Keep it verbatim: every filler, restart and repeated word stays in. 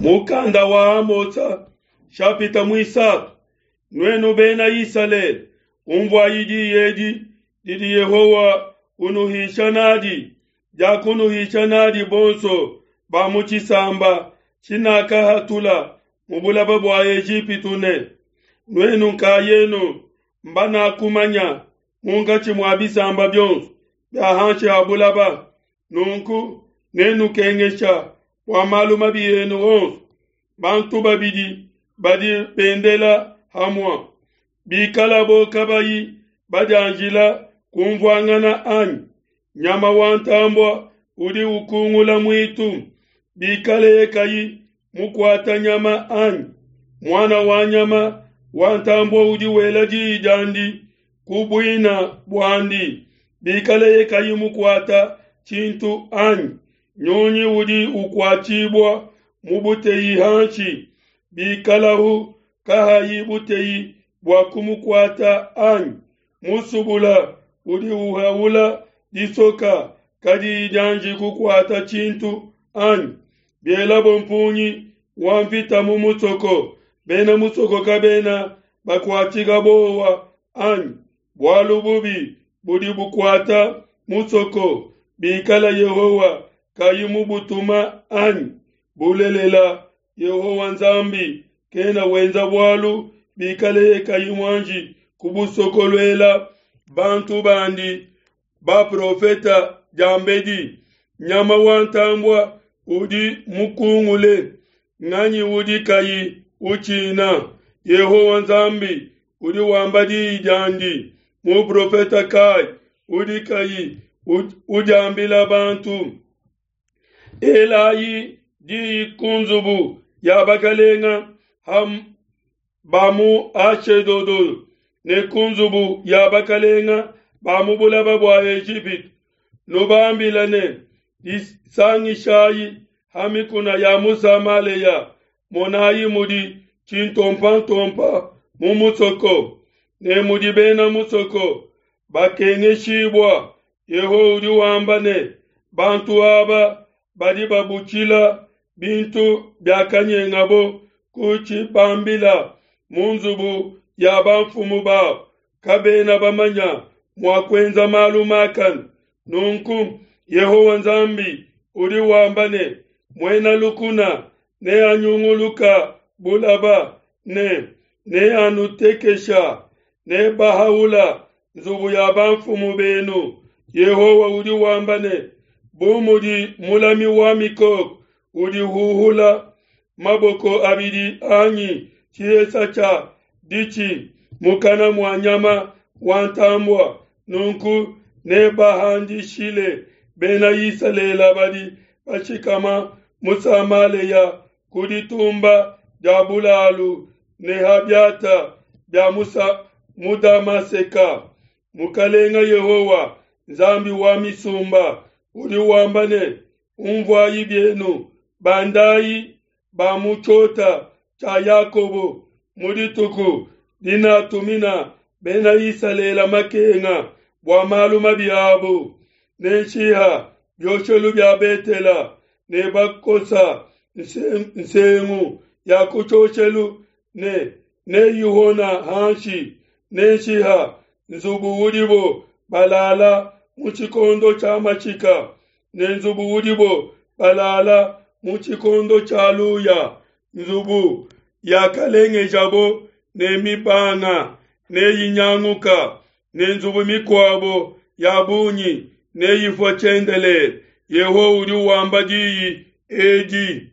Mukanda wa Amosa shapita muisatu. Nuenu bena Isalele, unvuayi diyi edi didi Yehowa unuhisha nadi, diakunuhisha nadi bonso ba mu tshisamba tshinakahatula mu bulaba bua Ejipitu ne, nuenu nkayenu mbanakumanya munkatshi mua bisamba bionso bia hanshi ha bulaba. Nunku nenukengesha bua malu mabi enu onso. Bantu babidi badi bendela hamua, bikalabo kabayi badianjila kumvuangana anyi? Nyama wa ntambua udi ukungula muitu, bikaleye kayi mukuata nyama anyi? Muana wa nyama wa ntambua udi wela diyi diandi ku buina buandi, bikaleye kayi mukuata tshintu anyi? Nyunyi udi ukuatshibua mu buteyi hanshi, bikalahu kahayi buteyi bua kumukuata anyi? Musubula udi uhaula disoka kadiyi dianji kukuata tshintu anyi? Bielabo mpungi wa mvita mu musoko, bena musoko kabena bakuatshika bowa anyi? Bualu bubi budi bukuata musoko, bikala Yehowa kayi mubutuma anyi? Bulelela, Yehowa Nzambi kena wenza bualu bikaleye kayi muanji kubusokoluela bantu bandi baprofeta diambedi. Nyama wa ntambua udi mukungule, nganyi udi kayi utshina? Yehowa Nzambi udi wamba diyi diandi, muprofeta kai udi kayi udiambila bantu? Elayi diyi ku nzubu ya bakalenga ba mu Ashedodo ne ku nzubu ya bakalenga ba mu bulaba bua Ejipitu, nubambila ne, disangishayi ha mikuna ya mu Samalea, monayi mudi tshintompantompa mu musoko ne mudi bena musoko bakengeshibua. Yehowa udi wamba ne, bantu aba badi babutshila bintu biakanyengabo ku tshibambila mu nzubu ya bamfumu babo, kabena bamanya mua kuenza malu makane. Nunku Yehowa Nzambi udi wamba ne, muena lukuna neanyunguluka bulaba ne neanutekesha, ne bahaula nzubu ya bamfumu benu. Yehowa udi wamba ne, bu mudi mulami wa mikoko udi huhula maboko abidi anyi tshihesa tshia ditshi mukana mua nyama wa ntambua, nunku nebahandishile bena Isalele badi bashikama mu Samalea ku ditumba dia bulalu ne ha biata bia mu Damaseka. Mukalenga Yehowa Nzambi wa misumba udi wamba ne, unvuayi bienu, bandayi ba mu tshiota tshia Yakobo mu dituku dinatumina bena Isalele makenga bua malu mabi abo, nenshiha bioshelu bia Betela ne bakosa nsengu ya ku tshioshelu ne neyihona hanshi, nenshiha nzubu udibo balala mu tshikondo tshia mashika ne nzubu udibo balala mu tshikondo tshia luya, nzubu yakalengejabo ne mibanga neyinyanguka, ne nzubu mikuabo ya bungi neyifua tshiendelele. Yehowa udi wamba diyi edi.